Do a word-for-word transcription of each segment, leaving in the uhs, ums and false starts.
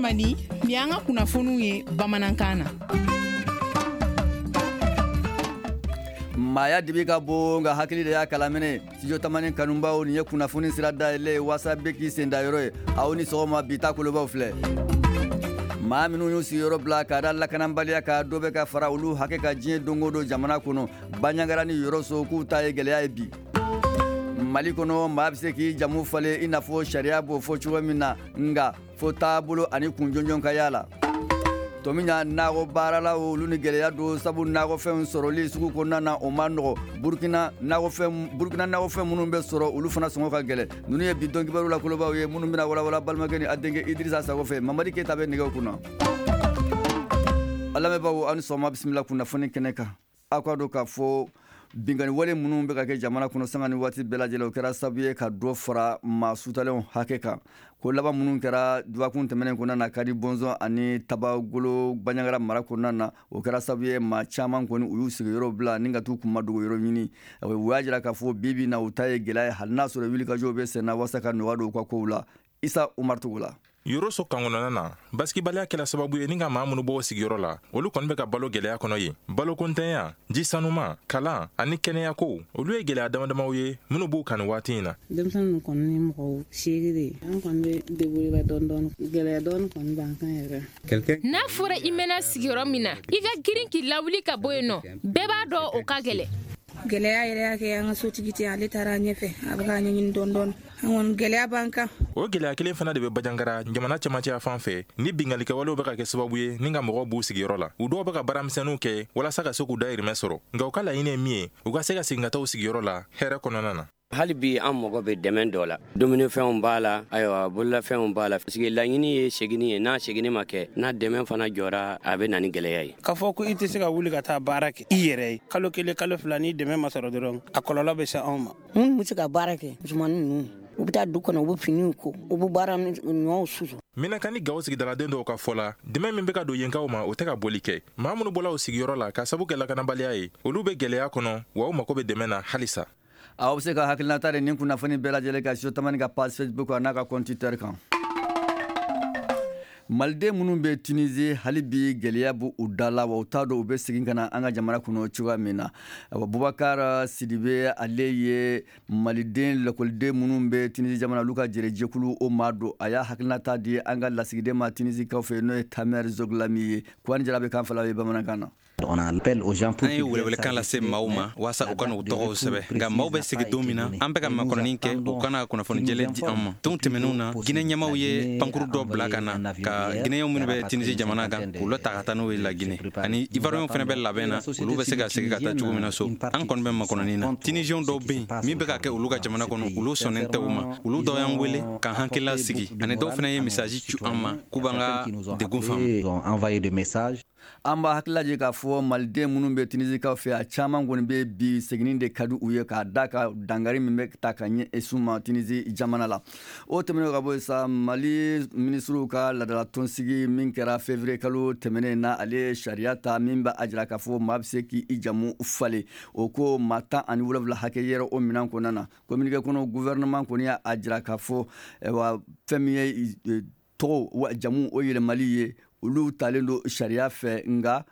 Tamani, nin y'an ka kunnafoniw ye bamanankan na. Maaya dibi ka bon nka hakili de y'a kalaminɛ. Studio Tamani kanubaw, nin ye kunnafoni sira dayɛlɛ ye waasa bɛɛ k'i sen da yɔrɔ ye. Aw ni sɔgɔma. Bi ta kolobaw filɛ: maa minnu y'u sigiyɔrɔ bila ka da lakanabaliya ka dɔ bɛ ka fara olu hakɛ ka diɲɛ don o don jamana kɔnɔ. Baɲangara ni Yɔrɔso, k'u ta ye gɛlɛya ye bi. Mali kɔnɔ, maa bɛ se k'i jamu falen i n'a fɔ sariya b'o fɔ cogo min na, nka fo taabolo ani kun jɔnjɔn ka y'a la. Tɔmiɲa nakɔ baaralaw, olu ni gɛlɛya don, sabu nakɔfɛnw sɔrɔli sugu kɔnɔna na, o ma nɔgɔ. Burukina nakɔfɛn, Burukina nakɔfɛn minnu bɛ sɔrɔ, olu fana sɔngɔ ka gɛlɛn. Ninnu ye bi don kibaru la kolobaw ye minnu bɛna walawala balimakɛ ni a denkɛ Idirisa Sago fɛ. Mamadi Keyita bɛ nɛgɛw kunna. A lamɛnbaaw, aw ni sɔgɔma, bisimila kunnafoni kɛnɛ kan. Aw ka dɔn k'a fɔ binkanni wale minnu bɛ ka kɛ jamana kɔnɔ sanga ni waati bɛɛ lajɛlen, o kɛra sababu ye ka dɔ fara maa sutalenw hakɛ kan. Ko laban minnu kɛra dɔgɔkun tɛmɛnen kɔnɔna na, Kadi Bɔnzɔn ani Tabagolo, Baɲangara mara kɔnɔna na, o kɛra sababu ye maa caman kɔni, u y'u sigiyɔrɔ bila ni ka t'u kunma dogo yɔrɔ ɲini. U y'a jira k'a fɔ bi bi na, u ta ye gɛlɛya ye, hali n'a sɔrɔ wulikajɔw bɛ sen na walasa ka nɔgɔya don u ka kow la. Isa Umar Togola. Yoroso kan kɔnɔna na, basigibaliya kɛla sababu ye ni ka maa minnu bɔ sigiyɔrɔ la, olu kɔni bɛ ka balo gɛlɛya kɔnɔ yen. Balokontanya, ji sanuma, kalan ani kɛnɛyako, olu ye gɛlɛya damadamaw ye minnu b'u kan nin waati in na. Denmisɛnnin kɔni ni mɔgɔ seegin de ye. An kɔni bɛ débrouiller dɔɔni dɔɔni, gɛlɛya dɔɔni kɔni b'an kan yɛrɛ. N'a fɔra i mɛnna sigiyɔrɔ min na, i ka girin k'i lawuli ka bɔ yen nɔ, bɛɛ b'a dɔn o ka gɛlɛn. Gɛlɛya yɛrɛ y'a kɛ an ka sotigi tɛ, ale taara ɲɛfɛ, a bɛ k'a ɲɛɲini dɔɔni dɔɔni. An kɔni, gɛlɛya b'an kan. O gɛlɛya kelen fana de bɛ Bajangara, jamana cɛmancɛya fan fɛ, ni binkannikɛwalew bɛ ka kɛ sababu ye ni ka mɔgɔw b'u sigiyɔrɔ la. U dɔw bɛ ka baaramisɛnninw kɛ walasa ka se k'u dayirimɛ sɔrɔ, nka u ka laɲini ye min ye, u ka se ka segin ka taa u sigiyɔrɔ la hɛrɛ kɔnɔna na. Hali bi an mago bɛ dɛmɛ dɔ la. Dumunifɛnw b'a la, ayiwa, bololafɛnw b'a la, parce que laɲini ye seginni ye. N'a seginni ma kɛ, n'a dɛmɛ fana jɔra, a bɛ na ni gɛlɛya ye. K'a fɔ ko i tɛ se ka wuli ka taa baara kɛ i yɛrɛ ye kalo kelen, kalo fila, ni dɛmɛ ma sɔrɔ dɔrɔn, a kɔlɔlɔ bɛ se anw ma. Minnu bɛ se ka baara kɛ, musomanin ninnu, u bɛ taa du kɔnɔ, u bɛ finiw ko, u bɛ baara ɲɔw susu. Minaka ni Gawo sigidaladen dɔw ka fɔ la, dɛmɛ min bɛ ka don yenkaw ma, o tɛ ka boli kɛ. Maa minnu bɔla u sigiyɔrɔ la ka sabu kɛ lakanabaliya ye, olu bɛ gɛlɛya kɔnɔ, wa u mako bɛ dɛmɛ na halisa. Aw bɛ se ka hakilinata de nin kunnafoni bɛɛ lajɛlen kan Studio Tamani ka page Facebook n'a ka compte Twitter kan. Maliden minnu bɛ Tunisie, hali bi gɛlɛya b'u u da la, wa u t'a dɔn u bɛ segin ka na an ka jamana kɔnɔ cogoya min na. Bubakar Sidibe, ale ye maliden lakɔliden minnu bɛ Tunisie jamana, olu ka jɛrɛjɛkulu o maa don. A y'a hakilinata di an ka lasigiden ma Tunisie kaw fɛ, n'o ye Tamer Zoglami ye. Kuwani Jara bɛ kan fila ye bamanankan na. An ye welewelekan lase maaw ma waasa u ka n'u tɔgɔw sɛbɛ, nka maaw bɛ segin don min na, an bɛ ka makɔnɔni kɛ u kana kunnafoni jɛlen di an ma. Don tɛmɛnenw na, Ginɛ ɲɛmaw ye pankuru dɔ bila ka na ka Ginɛɲɛw minnu bɛ Tinisi jamana kan, k'u ta ka taa n'u ye Laginɛ. Ani Ivoiriyɛnw fana bɛ labɛn na, olu bɛ se ka segin ka taa cogo min na so. An kɔni bɛ makɔnɔni na. Tunisiyɛnw dɔw bɛ yen, min bɛ ka kɛ olu ka jamana kɔnɔ, olu sɔnnen tɛ u ma. Olu dɔw y'an wele k'an hakilila sigi, ani dɔw fana ye message ci an ma k'u b'an ka degun faamu. An b'a hakilila jigin k'a fɔ maliden minnu bɛ Tunisikaw fɛ, a caman kɔni bɛ bi, seginni de ka di u ye, k'a da ka dankari min bɛ ta ka ɲɛsin ma Tunisie jamana la. O tɛmɛnen ka bɔ yen sa, Mali minisiriw ka laadala tɔnsigi min kɛra février kalo tɛmɛnen na, ale ye sariya ta min b'a jira k'a fɔ maa bɛ se k'i jamu falen. O ko maa tan ani wolonwula hakɛ yɛrɛ o minɛn kɔnɔna na. Communiqué kɔnɔ, gouvernement kɔni y'a jira k'a fɔ wa fɛn min ye tɔgɔ wa jamu o yɛlɛmali ye, olu talen don sariya fɛ, nka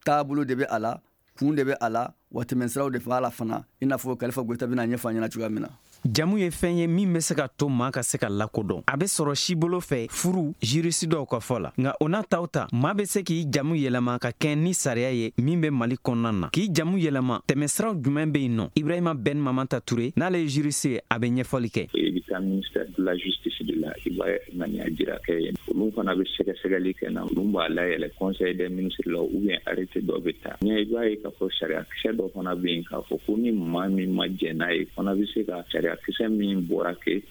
taabolo de bɛ a la, kun de bɛ a la, wa tɛmɛsiraw de b'a la fana, i n'a fɔ Kalifa Goyita bɛna ɲɛfɔ an ɲɛna cogoya min na. Jamu ye fɛn ye min bɛ se ka to maa ka se ka lakodɔn. A bɛ sɔrɔ sibolo fɛ, furu, juriste dɔw ka fɔ la. Nka o n'a taw ta, maa bɛ se k'i jamu yɛlɛma ka kɛ ni sariya ye min bɛ Mali kɔnɔna na. K'i jamu yɛlɛma, tɛmɛsiraw jumɛn bɛ yen nɔ? Ibrahima Ben Mamanta Ture, n'ale ye juriste ye, a bɛ ɲɛfɔli kɛ. I bɛ taa ministère de la Justice de la, i b'a ŋaniya jira kɛ yen, olu fana bɛ sɛgɛsɛgɛli kɛ na, olu b'a layɛlɛ conseil des ministres la, ou bien arrêté dɔ bɛ ta ɲɛ. I b'a ye k'a fɔ sariya kisɛ dɔ fana bɛ yen k'a fɔ ko ni maa min ma jɛn n'a ye fana, bɛ se ka sariya kisɛ min bɔra k'e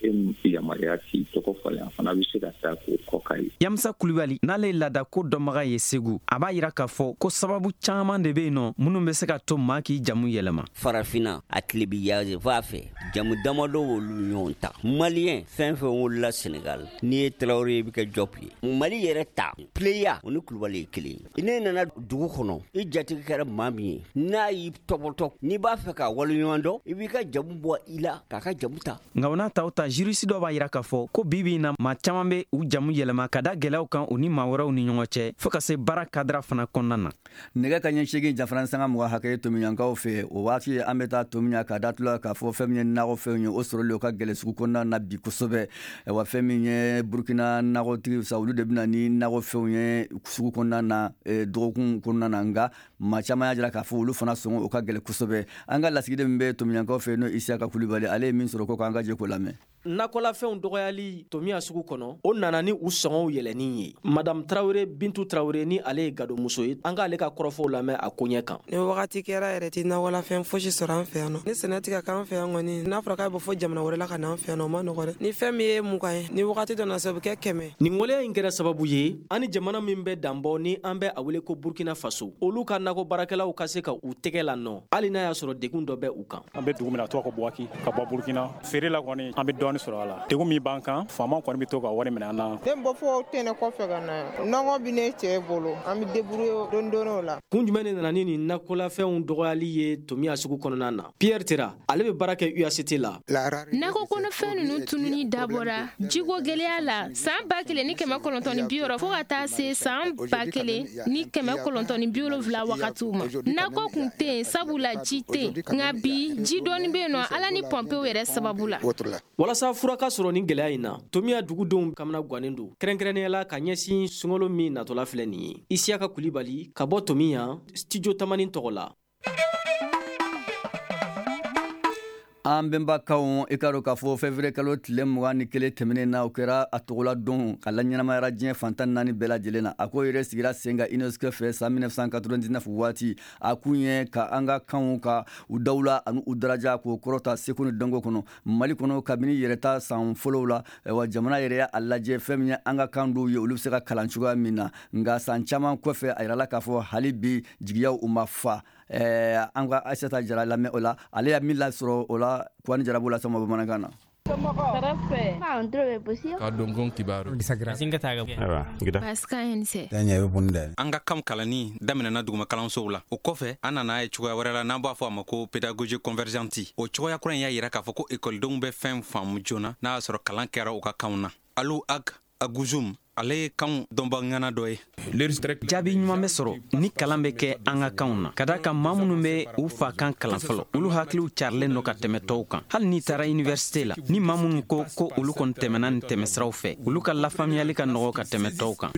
yamaruya k'i tɔgɔ falen, a fana bɛ se ka taa k'o kɔ kari. Yamusa Kulibali, n'ale ye laadako dɔnbaga ye Segu, a b'a yira k'a fɔ ko sababu caman de bɛ yen nɔ minnu bɛ se ka to maa k'i jamu yɛlɛma. Farafinna, a tilebi yanfan fɛ, jamu damadɔ olu ɲɔgɔn ta. Maliyɛn fɛn fɛn wolola Senegal, n'i ye Tarawele ye, i bɛ kɛ Jɔp ye. Mali yɛrɛ ta, Pleya, o ni Kulubali ye kelen ye. Ne nana dugu kɔnɔ, i jatigi kɛra maa min ye, n'a y'i tɔbɔtɔ, n'i b'a fɛ ka waleɲuman dɔn, i b'i ka jamu bɔ i la k'a ka ka jamu ta. Nka o n'a ta o ta, juriste dɔ b'a yira k'a fɔ ko bi bi in na, maa caman bɛ u jamu yɛlɛma ka da gɛlɛyaw kan u ni maa wɛrɛw ni ɲɔgɔn cɛ, fo ka se baara kadira fana kɔnɔna na. Nɛgɛ ka ɲɛ seegin jafara sanga mugan hakɛ ye Tomiɲankaw fɛ. O waati an bɛ taa Tomiɲan ka da tula k'a fɔ fɛn min ye nakɔfɛnw ye, o sɔrɔli o ka gɛlɛn sugu kɔnɔna na bi kosɛbɛ. Wa fɛn min ye Burukina nakɔtigiw sa, olu de bɛna ni nakɔfɛnw ye sugu kɔnɔna na dɔgɔkun kɔnɔna na. Nka maa caman y'a jira k'a fɔ olu fana sɔngɔ o ka gɛlɛn kosɛbɛ. An ka lasigiden min bɛ Tomiɲankaw fɛ, n'o Isiyaka Kulubali, ale ye min sɔrɔ ko k'an ka jɛ k'o lamɛn. Nakɔlafɛnw dɔgɔyali Tomiya sugu kɔnɔ, o nana ni u sɔngɔw yɛlɛnni ye. Madame Tarawele Bintu Tarawele, ni ale ye gadomuso ye, an k'ale ka kɔrɔfɔw lamɛn a koɲɛ kan. Ni wagati kɛra yɛrɛ tɛ nakɔlafɛn fosi sɔrɔ an fɛ yan nɔ. Ni sɛnɛ tɛ ka k'an fɛ yan kɔni, n'a fɔra k'a bɛ fɔ jamana wɛrɛ la ka na an fɛ yan nɔ, o ma nɔgɔ dɛ. Ni fɛn min ye mugan ye, ni wagati dɔ na se, o bɛ kɛ kɛmɛ. Nin waleya in kɛra sababu ye an ni jamana min bɛ danbɔ, ni an bɛ a wele ko Burkina Faso, olu ka nakɔ baarakɛlaw ka se ka u tɛgɛ la nɔ, hali n'a y'a sɔrɔ degun dɔ bɛ u kan. An bɛ dugu min na, a tɔgɔ ko Buwaki, ka bɔ Burkina. Feere la kɔni, an bɛ dɔɔni sɔrɔ a la. Degun min b'an kan, faama kɔni bɛ to ka wari minɛ an na. Ne bɔ fɔ tɛnɛ kɔfɛ ka na, nɔgɔ bɛ ne cɛ bolo, an bɛ débrouiller don don o la. Kun jumɛn de nana ni nin nakɔlafɛnw dɔgɔyali ye Tomiya sugu kɔnɔna na? Pierre Tera, ale bɛ baara kɛ U A C T la. Nakɔ kɔnɔfɛn ninnu tununi dabɔra jiko gɛlɛya la san ba kelen ni kɛmɛ kɔnɔntɔn ni bi wɔɔrɔ fo ka taa se san ba kelen ni kɛmɛ kɔnɔntɔn ni bi wolonwula wagatiw ma. Nakɔ kun tɛ yen sabula ji tɛ yen, nka bi ji dɔɔni bɛ yen nɔ, Ala ni pɔnpew yɛrɛ sababu la. Walasa fura ka sɔrɔ nin gɛlɛya in na, Tomiya dugudenw kamana gannen don, kɛrɛnkɛrɛnnenya la ka ɲɛsin sunkalo min natɔla filɛ nin ye. Isiyaka Kulibali ka bɔ Tomiya, Studio Tamani tɔgɔ la. An bɛnbakaw, i ka dɔn k'a fɔ février kalo tile mugan ni kelen tɛmɛnen na, o kɛra a tɔgɔla don ka laɲɛnamayara diɲɛ fantan naani bɛɛ lajɛlen na. A ko yɛrɛ sigira sen kan UNESCO fɛ san mille neuf cent quatre-vingt-dix-neuf waati. A kun ye ka an ka kanw ka u dawula ani u daraja k'o kɔrɔta seko ni dɔnko kɔnɔ Mali kɔnɔ. Kabini yɛrɛta san fɔlɔw la, wa jamana yɛrɛ y'a lajɛ fɛn min ye an ka kan dɔw ye, olu bɛ se ka kalan cogoya min na. Nka san caman kɔfɛ, a yirala k'a fɔ hali bi jigiyaw u ma fa. An ka Aissata Jara lamɛn o la, ale y'a min lasɔrɔ o la, Kuwani Jara b'o las'aw ma bamanankan na. An ka kan kalanni daminɛna duguma kalansow la. O kɔfɛ, an nana ye cogoya wɛrɛ la n'an b'a fɔ a ma ko pédagogie convergente. O cogoya kura in y'a yira k'a fɔ ko ekɔlidenw bɛ fɛn faamu joona n'a y'a sɔrɔ kalan kɛra u ka kanw na. Alu Ag Aguzum, ale ye kanw dɔnbaŋana dɔ ye. Jaabi ɲuman bɛ sɔrɔ ni kalan bɛ kɛ an ka kanw na, ka da kan maa minnu bɛ u fa kan kalan fɔlɔ, olu hakiliw carilen don ka tɛmɛ tɔw kan. Hali n'i taara université la, ni maa minnu ko ko olu kɔni tɛmɛna nin tɛmɛsiraw fɛ, olu ka lafaamuyali ka nɔgɔ ka tɛmɛ tɔw kan.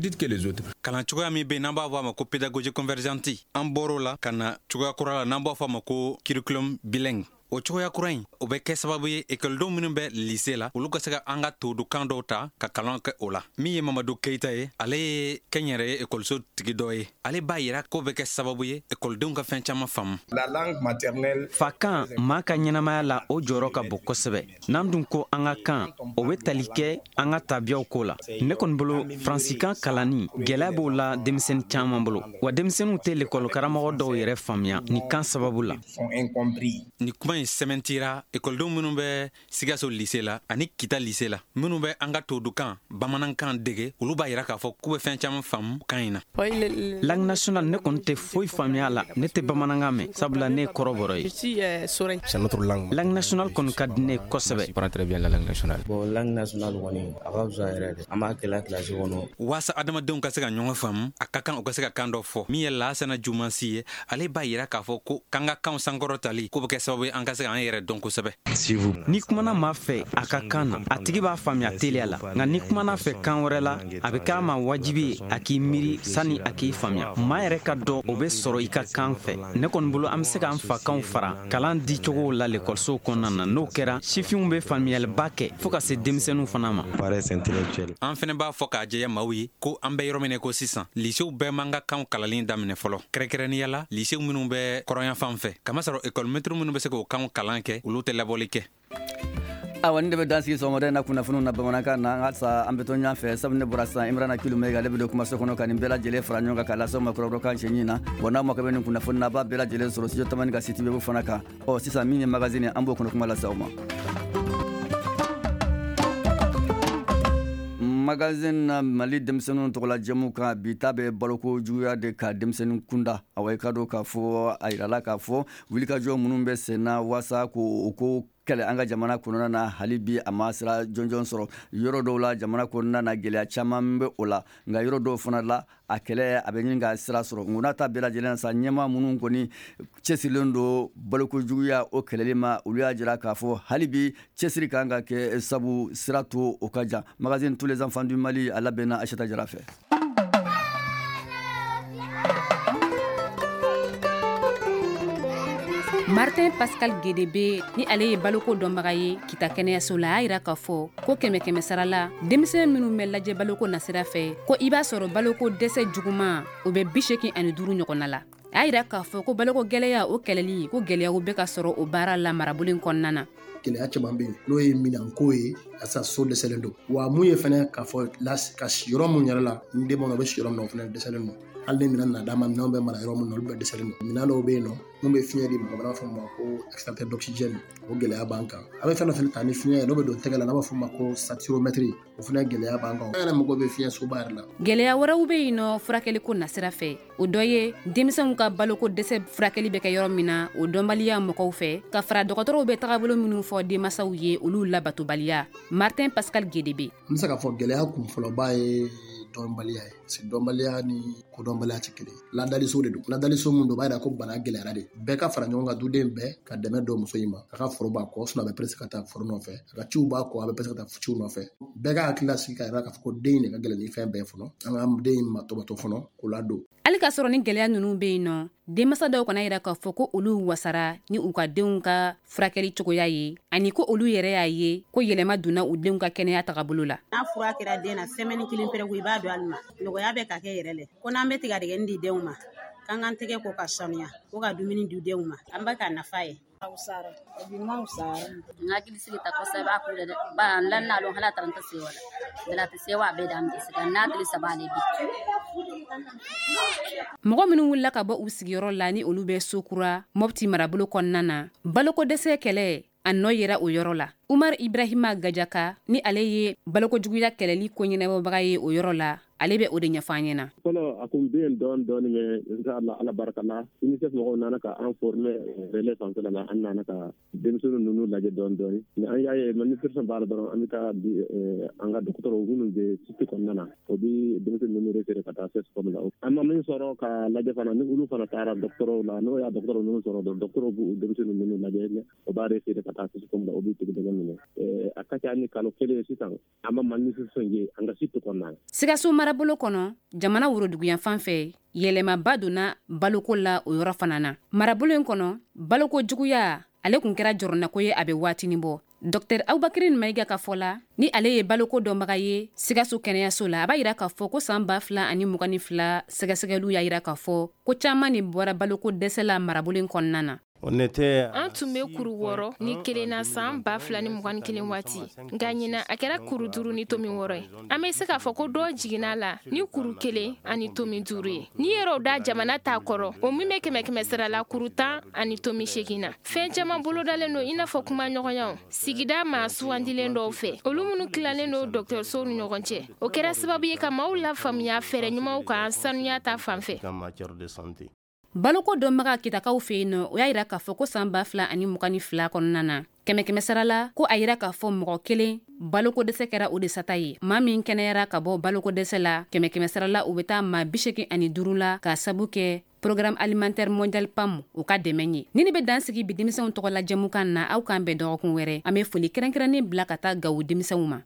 Kalan cogoya min bɛ yen n'an b'a fɔ a ma ko pédagogie convergente, an bɔr'o la ka na cogoya kura la n'an b'a fɔ a ma ko curriculum bilingue. O cogoya kura in, o bɛ kɛ sababu ye ekɔlidenw minnu bɛ lycée la, olu ka se ka an ka todukan dɔw ta ka kalan kɛ o la. Min ye Mamadu Keyita ye, ale ye kɛnyɛrɛye ekɔliso tigi dɔ ye. Ale b'a yira k'o bɛ kɛ sababu ye ekɔlidenw ka fɛn caman faamu. Fakan maa ka ɲɛnamaya la, o jɔyɔrɔ ka bon kosɛbɛ. N'an dun ko an ka kan, o bɛ tali kɛ an ka tabiyaw ko la. Ne kɔni bolo, faransikan kalanni gɛlɛya b'o la denmisɛnnin caman bolo, wa denmisɛnninw tɛ lekɔlikaramɔgɔ dɔw yɛrɛ faamuya nin kan sababu la. Nin kuma in sɛmɛntira ekɔlidenw minnu bɛ Sikaso lycée la ani Kita lycée la, minnu bɛ an ka todukan bamanankan dege, olu b'a yira k'a fɔ k'u bɛ fɛn caman faamu kan in na. Langue nationale, ne kɔni tɛ foyi faamuya la, ne tɛ bamanankan mɛn, sabula ne ye kɔrɔbɔrɔ ye. Langue nationale kɔni ka di ne ye kosɛbɛ. Bon, langue nationale kɔni a ka fisa yɛrɛ de, an b'a kɛla kilasi kɔnɔ. Waasa adamadenw ka se ka ɲɔgɔn faamu, a ka kan u ka se ka kan dɔ fɔ. Min ye Lasana Jumansi ye, ale b'a yira k'a fɔ ko k'an ka kanw sankɔrɔtali k'o bɛ kɛ sababu ye an ka se k'an yɛrɛ dɔn kosɛbɛ. N'i kumana maa fɛ a ka kan na, a tigi b'a faamuya teliya la. Nka n'i kumana fɛ kan wɛrɛ la, a bɛ k'a ma wajibi ye a k'i miiri sani a k'i faamuya. Maa yɛrɛ ka dɔn, o bɛ sɔrɔ i ka kan fɛ. Ne kɔni bolo, an bɛ se k'an fakanw fara kalan dicogow la lekɔlisow kɔnɔna na. N'o kɛra, sifinw bɛ faamuyaliba kɛ fo ka se denmisɛnninw fana ma. An fɛnɛ b'a fɔ k'a jɛya maaw ye ko an bɛ yɔrɔ min na ko sisan, lycéew bɛɛ man ka kanw kalanni daminɛ fɔlɔ, kɛrɛnkɛrɛnnenya la lycéew minnu bɛ kɔrɔnyanfan fɛ, kamasɔrɔ ekɔlimɛtiri minnu bɛ se k'o kanw kalan kɛ, olu tɛ labɔli kɛ. Awa, nin de bɛ dan sigi sɔgɔmada in na kunnafoniw na bamanankan na. Halisa an bɛ to ɲɔgɔn fɛ, sabu ne bɔra sisan, Imrana Kilumega, ale bɛ don kumaso kɔnɔ ka nin bɛɛ lajɛlen fara ɲɔgɔn kan k'a lase aw ma kɔrɔbɔrɔkan cɛɲi na. Wa n'aw mako bɛ nin kunnafoni na, a b'a bɛɛ lajɛlen sɔrɔ Studio Tamani ka site web fana kan. Ɔ sisan, min ye magazine, an b'o kɔnɔ kuma lase aw ma. Magazine na, Mali denmisɛnninw tɔgɔla jɛmu kan, bi ta bɛ baloko juguya de ka denmisɛnnin kunda. Awa, i ka dɔn k'a fɔ a yirala k'a fɔ wulikajɔ minnu bɛ sen na waasa k'o ko kɛlɛ an ka jamana kɔnɔna na, hali bi a ma sira jɔnjɔn sɔrɔ. Yɔrɔ dɔw la jamana kɔnɔna na, gɛlɛya caman bɛ o la, nka yɔrɔ dɔw fana la, a kɛlɛ a bɛ ɲini ka sira sɔrɔ. Nka n'a ta bɛɛ lajɛlen sa, ɲɛmaa minnu kɔni cɛsirilen don balokojuguya o kɛlɛli ma, olu y'a jira k'a fɔ hali bi cɛsiri kan ka kɛ, sabu sira to o ka jan. Magazine Tous les enfants du Mali, a labɛnna Aïssata Jara fɛ. Martin Pascal Guédébé, ni ale ye baloko dɔnbaga ye Kita kɛnɛyaso la, a y'a yira k'a fɔ ko kɛmɛ kɛmɛ sara la, denmisɛn minnu bɛ lajɛ baloko nasira fɛ, ko i b'a sɔrɔ baloko dɛsɛ juguman o bɛ bi seegin ani duuru ɲɔgɔnna la. A y'a yira k'a fɔ ko baloko gɛlɛya o kɛlɛli, ko gɛlɛyaw bɛ ka sɔrɔ o baara la marabolo in kɔnɔna na. Gɛlɛya caman bɛ yen, n'o ye minɛnko ye, asa so dɛsɛlen don. Wa mun ye fɛnɛ k'a fɔ ka si yɔrɔ mun yɛrɛ la, ni den bɛ si yɔrɔ min na, o fɛnɛ dɛsɛlen don. Hali ni minɛn nana d'a ma, minɛnw bɛ mara yɔrɔ min na, olu bɛɛ dɛsɛlen don. Minɛn dɔw bɛ yen nɔ mun bɛ fiɲɛ di mɔgɔ ma, n'a fɔ ma ko extracteur d'oxygène, o gɛlɛya b'an kan. A bɛ fɛn dɔ fɛnɛ ta ni fiɲɛ ye, n'o bɛ don tɛgɛ la, n'a b'a fɔ ma ko saturomètre, o fɛnɛ gɛlɛya b'an kan. An yɛrɛ mago bɛ fiɲɛ soba yɛrɛ la. Gɛlɛya wɛrɛw bɛ yen nɔ furakɛliko nasira fɛ, o dɔ ye denmisɛnw ka baloko dɛsɛ furakɛli bɛ kɛ yɔrɔ min na, o dɔnbaliya mɔgɔw fɛ, ka fara dɔgɔtɔrɔw bɛ tagabolo minnu fɔ denmansaw ye, olu labatobaliya. Martin Pascal Guédébé. An bɛ se k'a fɔ gɛlɛya kunfɔlɔba ye dɔnbaliya ye, parce que dɔnbaliya ni kodɔnbaliya tɛ kelen. Ladaliso de don, ladaliso mun don, o b'a yira ko bana gɛlɛyara de. Bɛɛ ka fara ɲɔgɔn kan, duden bɛɛ ka dɛmɛ don muso in ma. A ka foro b'a kɔ, sinon a bɛ pressé ka taa foro nɔfɛ. A ka ciw b'a kɔ, a bɛ pressé ka taa ciw nɔfɛ. Bɛɛ ka hakili lasigi k'a yira k'a fɔ ko den in de ka gɛlɛn ni fɛn bɛɛ fɔlɔ. An ka den in ma tɔbɔtɔ fɔlɔ k'o ladon. Hali k'a sɔrɔ ni gɛlɛya ninnu bɛ yen nɔ, denmansa dɔw kana yira k'a fɔ ko olu wasara ni u ka denw ka furakɛli cogoya ye, ani ko olu yɛrɛ y'a ye ko yɛlɛma donna u denw ka kɛnɛya tagabolo la. N'a fura kɛra den na semaine kelen pɛrɛ ko i b'a don ali ma, nɔgɔya bɛ ka kɛ yɛrɛ lɛ. Ko n'an bɛ tigadɛgɛni di denw ma, k'an k'an tɛgɛ ko ka sanuya, ko ka dumuni di denw ma, an bɛ ka nafa ye. N hakili sigi ta kosɛbɛ a ko la dɛ, ba n la n'alo hala taranta sewa la bala tɛ sewa a bɛɛ da an tɛ se ka n'a tile saba ale bi. Mɔgɔ minnu wulila ka bɔ u sigiyɔrɔ la, ni olu bɛ so kura Mopti marabolo kɔnɔna na, baloko dɛsɛ kɛlɛ a nɔ yera o yɔrɔ la. Umar Ibrahima Gajaka, ni ale ye balokojuguya kɛlɛli ko ɲɛnabɔbaga ye o yɔrɔ la, ale bɛ o de ɲɛfɔ an ɲɛna. Fɔlɔ a kun bɛ yen dɔɔni dɔɔni, mais inshallah Ala barika la, UNICEF mɔgɔw nana ka an former relais fanfɛla la, an nana ka denmisɛnnin ninnu lajɛ dɔɔni dɔɔni. Mais an y'a ye malnutrition b'a la dɔrɔn, an bɛ taa di an ka dɔgɔtɔrɔw minnu bɛ site kɔnɔna na, o bɛ denmisɛnnin ninnu référé ka taa C S C O M la. An ma min sɔrɔ ka lajɛ fana, ni olu fana taara dɔgɔtɔrɔw la, n'o y'a dɔgɔtɔrɔ ninnu sɔrɔ dɔrɔn, dɔgɔtɔrɔw b'u denmisɛnnin ninnu lajɛ, o b'a référé ka taa C S C O M la, o b'u tigɛ minɛ. A ka ca ni kalo kelen sisan, an ma malnutrition ye an ka site kɔnɔna na. Sikaso marabolo kɔnɔ, jamana woroduguyanfan fɛ, yɛlɛmaba donna baloko la o yɔrɔ fana na. Marabolo in kɔnɔ, baloko juguya ale kun kɛra jɔrɔnako ye a bɛ waatinin bɔ. Dɔktɛr Abubakari Mayiga ka fɔ la, ni ale ye baloko dɔnbaga ye Sikaso kɛnɛyaso la, a b'a yira k'a fɔ ko san ba fila ani mugan ni fila sɛgɛsɛgɛliw y'a yira k'a fɔ ko caman de bɔra baloko dɛsɛ la marabolo in kɔnɔna na. An tun bɛ kuru wɔɔrɔ ni kelen na san ba fila ni mugan ni kelen waati, nka ɲinan a kɛra kuru duuru ni tomi wɔɔrɔ ye. An bɛ se k'a fɔ ko dɔ jiginna la ni kuru kelen ani tomi duuru ye. N'i yɛrɛ da jamana t'a kɔrɔ, o min bɛ kɛmɛ kɛmɛ sara la kuru tan ani tomi seegin na. Fɛn caman bolodalen don, i n'a fɔ kumaɲɔgɔnyaw sigida maa sugandilen dɔw fɛ, olu minnu tilalen don dɔgɔtɔrɔsow ni ɲɔgɔn cɛ. O kɛra sababu ye ka maaw lafaamuya fɛɛrɛ ɲumanw kan sanuya ta fan fɛ. Baloko dɔnbaga Kitakaw fɛ yen nɔ, o y'a yira k'a fɔ ko san ba fila ani mugan ni fila kɔnɔna na, kɛmɛ kɛmɛ sara la, ko a yira k'a fɔ mɔgɔ kelen baloko dɛsɛ kɛra o de sata ye. Maa min kɛnɛyara ka bɔ baloko dɛsɛ la, kɛmɛ kɛmɛ sara la, o bɛ taa maa bi seegin ani duuru la, k'a sabu kɛ Programme alimentaire mondial PAM o ka dɛmɛ ye. Ni ne bɛ dan sigi bi denmisɛnw tɔgɔ la jɛmukan na, aw k'an bɛn dɔgɔkun wɛrɛ. An bɛ foli kɛrɛnkɛrɛnnen bila ka taa Gawo denmisɛnw ma.